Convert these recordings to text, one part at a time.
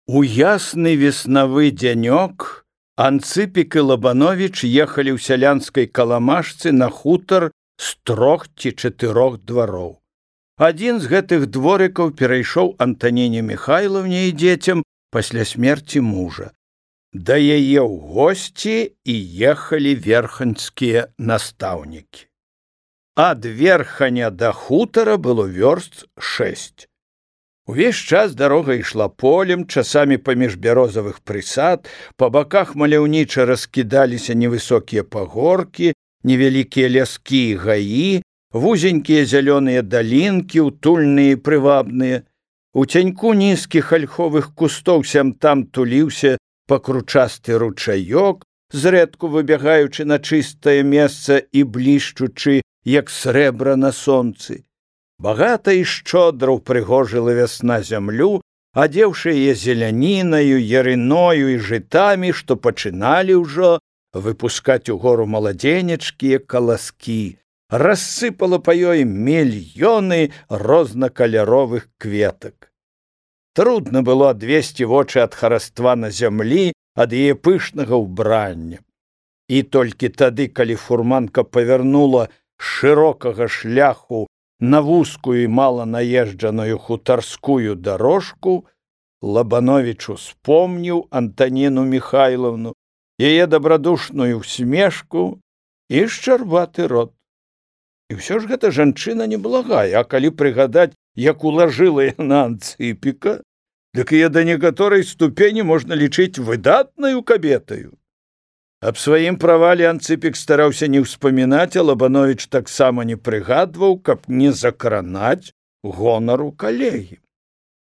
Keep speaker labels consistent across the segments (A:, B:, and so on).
A: У ясны веснавы дзянёк Анцыпік і Лабановіч ехалі ў сялянскай каламажцы на хутар з 3 ці 4 двароў. Адзін з гэтых дворыкаў перайшоў Антаніне Міхайлаўне і дзецям пасля смерці мужа. Да яе ў госці і ехалі верханьскія настаўнікі. Ад Верханя да хутара было вёрст 6. Увесь час дарога ішла полем, часамі паміж бярозавых прысад, па баках маляўніча раскідаліся невысокія пагоркі, невялікія ляскі і гаі, вузенькія зялёныя далінкі, утульныя і прывабныя. У цяньку нізкіх альховых кустоў сям-там туліўся пакручасты ручаёк, зрэдку выбягаючы на чыстае месца і блішчучы, як срэбра на сонцы. Багата і шчодра ўпрыгожыла вясна зямлю, адзеўшы яе зелянінаю, ярыною і жытамі, што пачыналі ўжо выпускаць угору маладзенечкія каласкі, рассыпала па ёй мільёны рознакаляровых кветак. Трудна было адвесці вочы ад хараства на зямлі, ад яе пышнага ўбрання. І толькі тады, калі фурманка павярнула шырокага шляху на вузкую і мала наезджаную хутарскую дарожку, Лабановіч успомніў Антаніну Міхайлаўну, яе дабрадушную усмешку і шчарбаты рот. І ўсё ж гэта жанчына неблагая, а калі прыгадаць, як улажыла яна Анцыпіка, дык яе да некаторай ступені можна лічыць выдатнаю кабетаю. Аб сваім правале Анцыпік стараўся не ўспамінаць, а Лабановіч таксама не прыгадваў, каб не закранаць гонару калегі.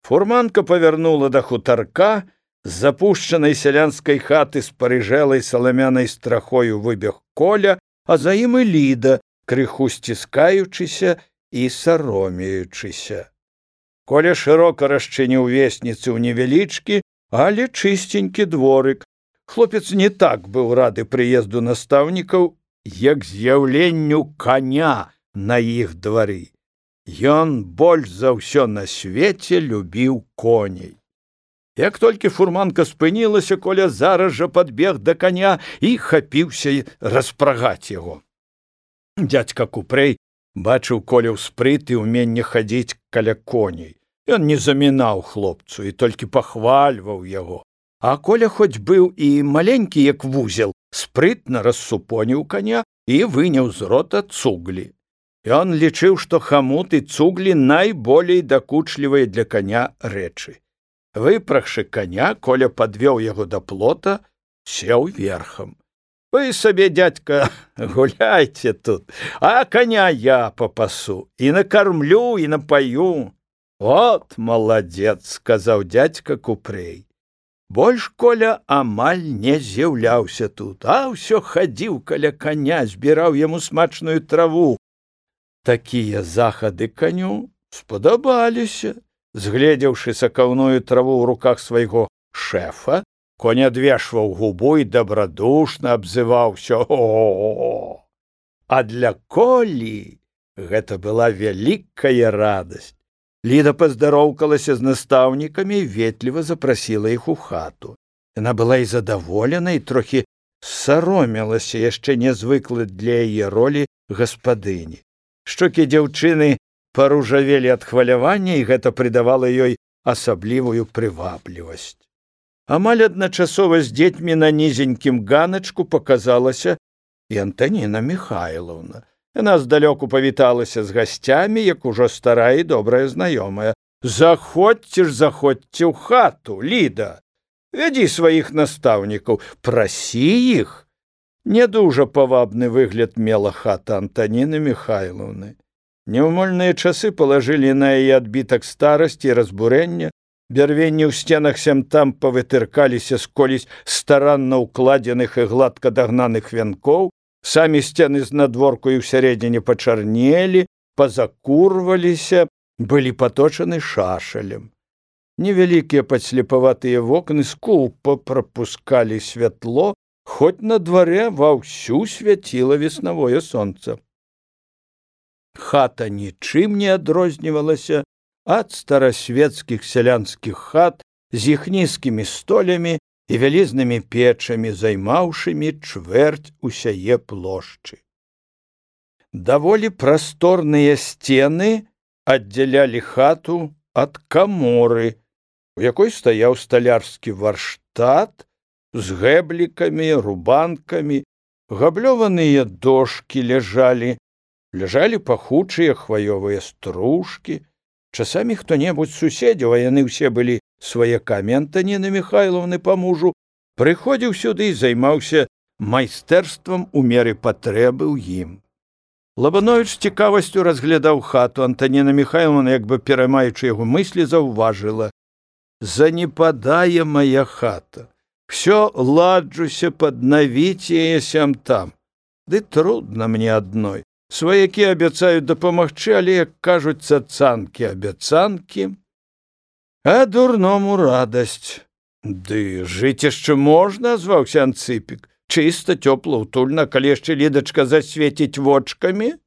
A: Фурманка павярнула да хутарка, з запушчанай сялянскай хаты з парыжэлай саламянай страхою выбег Коля, а за ім і Ліда, крыху сціскаючыся і саромеючыся. Коля шырока расчыніў весніцы ў невялічкі, але чыстенькі дворык. Хлопец не так быў рады прыезду настаўнікаў, як з'яўленню коня на іх двары. Ён больш за ўсё на свеце любіў коней. Як толькі фурманка спынілася, Коля зараз жа падбег да коня і хапіўся распрагаць яго. Дзядзька Купрэй бачыў Колю спрыт і ўменне хадзіць каля коней. Ён не замінаў хлопцу і толькі пахвальваў яго. А Коля хоць быў і маленькі, як вузел, спрытна рассупоніў коня і выняў з рота цуглі. Ён лічыў, што хамут і цуглі найболей дакучлівыя для коня рэчы. Выпрагшы коня, Коля падвёў яго да плота, сеў верхам. Вы сабе, дядька, гуляйце тут, а коня я папасу, і накармлю, і напаю. Вот маладзец, сказаў дядька Купрэй. Больш Коля амаль не з'яўляўся тут, а ўсё хадзіў каля коня, збіраў яму смачную траву. Такія захады коню спадабаліся. Згледзеўшы сакаўную траву ў руках свайго шэфа, конь адвешваў губу і дабрадушна абзываўся: «О-о-о!» А для Колі гэта была вялікая радасць. Ліда паздароўкалася з настаўнікамі і ветліва запрасіла іх у хату. Яна была і задаволена, і трохі саромелася яшчэ нязвыклай для яе ролі гаспадыні. Шчокі дзяўчыны паружавелі ад хвалявання, і гэта прыдавала ёй асаблівую прываблівасць. Амаль адначасова з дзецьмі на нізенькім ганачку паказалася і Антаніна Міхайлаўна. Яна здалёку павіталася з гасцямі, як ужо старая і добрая знаёмая. «Заходзьце ж, заходзьце ў хату, Ліда! Вядзі сваіх настаўнікаў, прасі іх!» Не дужа павабны выгляд мела хата Антаніны Міхайлаўны. Няўмольныя часы палажылі на яе адбітак старасці і разбурэння, бярвенні ў сценах сям-там павытыркаліся з колісь старанна ўкладзеных і гладка дагнаных вянкоў, самі сцены знадворку і ўсярэдзіне пачарнелі, пазакурваліся, былі паточаны шашалем. Невялікія падслепаватыя вокны скупа прапускалі святло, хоць на дварэ ваўсю свяціла веснавое сонца. Хата нічым не адрознівалася ад старасветскіх сялянскіх хат з іх нізкімі столямі і вялізнымі печамі, займаўшымі чвэрць усяе плошчы. Даволі прасторныя сцены аддзялялі хату ад каморы, у якой стаяў сталярскі варштат з гэблікамі, рубанкамі, габлёваныя дошкі ляжалі пахучыя хваёвыя стружкі. Часамі хто-небудзь з суседзяў, а яны ўсе былі сваякамі Антаніны Міхайлаўны па мужу, прыходзіў сюды і займаўся майстэрствам у меры патрэбы ў ім. Лабановіч з цікавасцю разглядаў хату. Антаніна Міхайлаўна, як бы пераймаючы яго мыслі, заўважыла: «Занепадае мая хата. Всё ладжуся паднавіць яе сям-там. Ды трудна мне адной. Сваякі абяцаюць дапамагчы, але, як кажуць, цацанкі-абяцанкі, а дурному радасць». «Ды жыць яшчэ можна», — азваўся Анцыпік. «Чыста, цёпла, утульна, калі яшчэ Лідачка засвеціць вочкамі,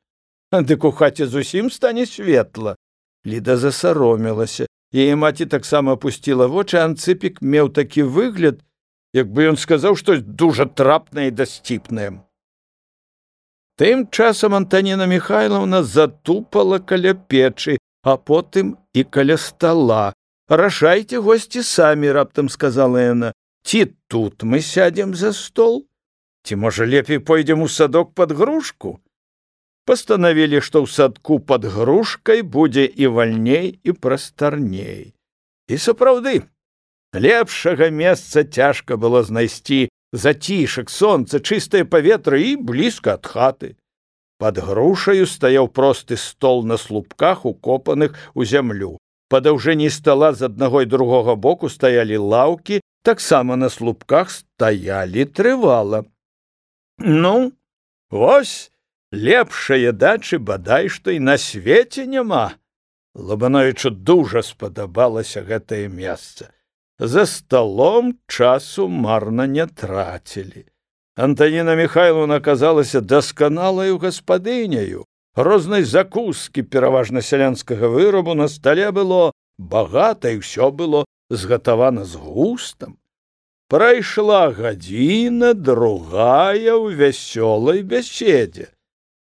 A: дык у хаце зусім стане светла». Ліда засаромілася. Яе маці таксама апусціла вочы. Анцыпік меў такі выгляд, як бы ён сказаў штось дужа трапнае і дасціпнае. Тым часам Антаніна Міхайлаўна затупала каля печы, а потым і каля стала. «Рашайце, госці, самі», — раптам сказала яна. «Ці тут мы сядзем за стол? Ці, можа, лепей пойдзем у садок пад грушку?» Пастанавілі, што ў садку пад грушкай будзе і вальней, і прастарней. І сапраўды, лепшага месца цяжка было знайсці. Зацішак, сонца, чыстае паветра і блізка ад хаты. Пад грушаю стаяў просты стол на слупках, укопаных у зямлю. Па даўжыні стала з аднаго і другога боку стаялі лаўкі, таксама на слупках стаялі трывала. «Ну, вось, лепшае дачы бадай што і на свеце няма». Лабановічу дужа спадабалася гэтае месца. За сталом часу марна не трацілі. Антаніна Міхайлаўна аказалася дасканалаю гаспадыняю. Рознай закускі, пераважна сялянскага вырабу, на стале было багата, і ўсё было згатавана з густам. Прайшла гадзіна, другая ў вясёлай бяседзе.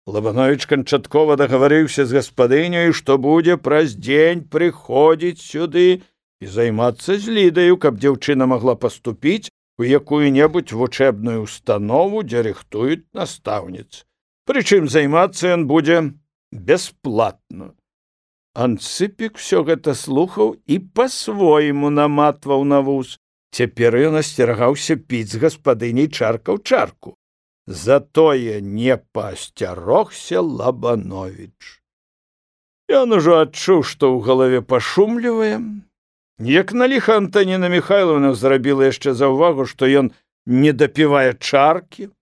A: Лабановіч канчаткова дагаварыўся з гаспадыняю, што будзе праз дзень прыходзіць сюды і займацца з Лідаю, каб дзяўчына магла паступіць у якую-небудзь вучэбную установу, дзе рыхтуюць настаўніц. Прычым займацца ён будзе бясплатна. Анцыпік усё гэта слухаў і па-свойму наматваў на вус. Цяпер ён асцерагаўся піць з гаспадыняй чарка ў чарку. Затое не паасцярогся Лабановіч. Ён ужо адчуў, што ў галаве пашумлівае. Як на ліха Антаніна Міхайлаўна зрабіла яшчэ заўвагу, што ён не дапівае чаркі.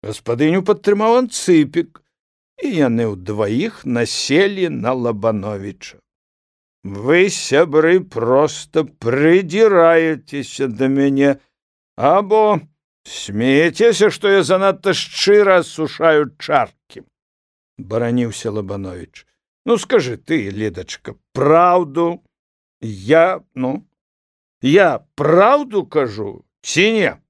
A: Гаспадыню падтрымаў Анцыпік, і яны ўдваіх населі на Лабановіча. «Вы, сябры, проста прыдзіраецеся да мяне, або смеецеся, што я занадта шчыра асушаю чаркі», — бараніўся Лабановіч. «Ну, скажы ты, Лідачка, праўду. Я праўду кажу, ці не?»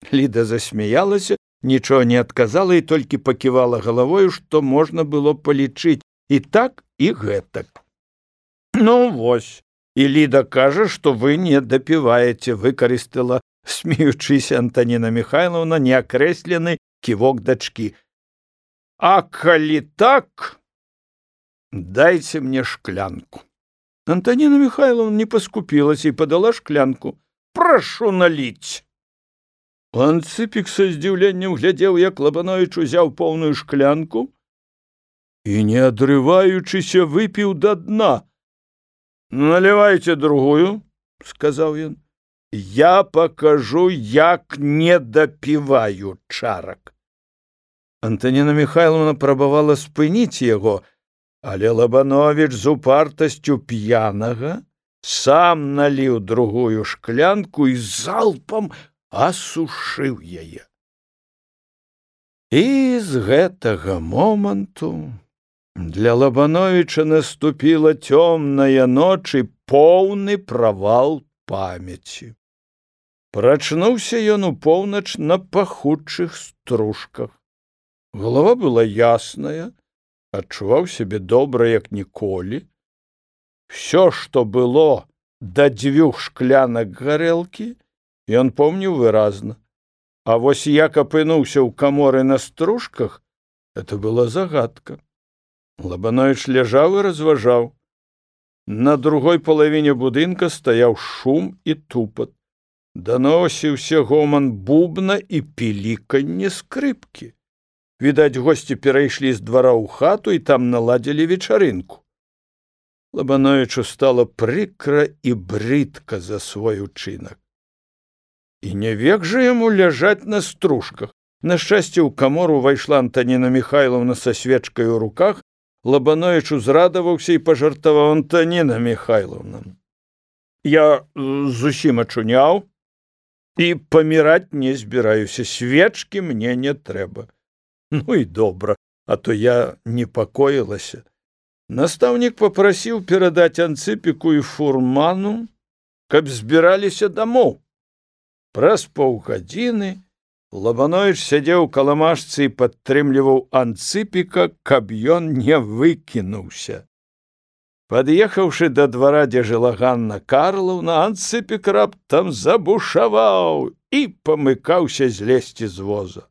A: Ліда засмяялася, нічого не адказала і толькі паківала галавою, што можна было палічыць і так, і гэтак. «Ну, вось, і Ліда кажа, што вы не дапіваеце», — выкарыстала, смеючыся, Антаніна Міхайлаўна неакрэслены ківок дачкі. «А калі так, дайце мне шклянку». Антаніна Міхайлаўна не паскупілася і падала шклянку. «Прашу наліць». Анцыпік са здзіўленнем глядзеў, як Лабановіч узяў поўную шклянку і, не адрываючыся, выпіў да дна. «Налівайце другую», — сказаў ён. «Я пакажу, як не дапіваю чарак». Антаніна Міхайлаўна прабавала спыніць яго, але Лабановіч з упартасцю п'янага сам наліў другую шклянку і залпам асушыў яе. І з гэтага моманту для Лабановіча наступіла цёмная ноч і поўны правал памяці. Прачнуўся ён у поўнач на пахучых стружках. Голава была ясная, адчуваў сябе добра, як ніколі. Всё, што было да 2 шклянак гарэлкі, ён помніў выразна. А вось як апынуўся ў каморы на стружках, это была загадка. Лабановіч ляжаў і разважаў. На другой палавіне будынка стаяў шум і тупат. Даносіўся гоман бубна і піліканне скрыпкі. Відаць, госці перайшлі з двара ў хату і там наладзілі вечарынку. Лабановічу стала прыкра і брыдка за свой учынак. І не век жа яму ляжаць на стружках. На шчасце, ў камору ўвайшла Антаніна Міхайлаўна са свечкай у руках. Лабановіч узрадаваўся і пажартаваў: Антаніна Міхайлаўна, я зусім ачуняў і паміраць не збіраюся, свечкі мне не трэба. Ну і добра, а то я непакоілася. Настаўнік папрасіў перадаць Анцыпіку і фурману, каб збіраліся дамоў. Праз паўгадзіны Лабановіч сядзеў у каламажцы і падтрымліваў Анцыпіка, каб ён не выкінуўся. Пад'ехаўшы да двара, дзе жыла Ганна Карлаўна, Анцыпік раптам забушаваў і памыкаўся злезці з воза.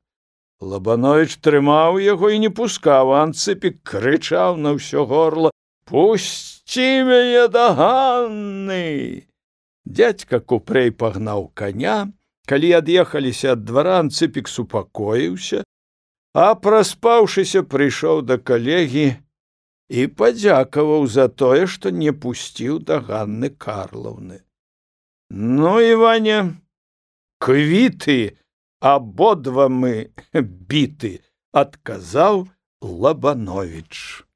A: Лабановіч трымаў яго і не пускаў, а Анцыпік крычаў на ўсё горла: «Пусці мяне да Ганны!» Дзядзька Купрэй пагнаў коня. Калі ад'ехаліся ад двара, Анцыпік супакоіўся, а праспаўшыся прыйшоў да калегі і падзякаваў за тое, што не пусціў да Ганны Карлаўны. «Ну, Іваня, квіты, абодва мы біты», — адказаў Лабановіч.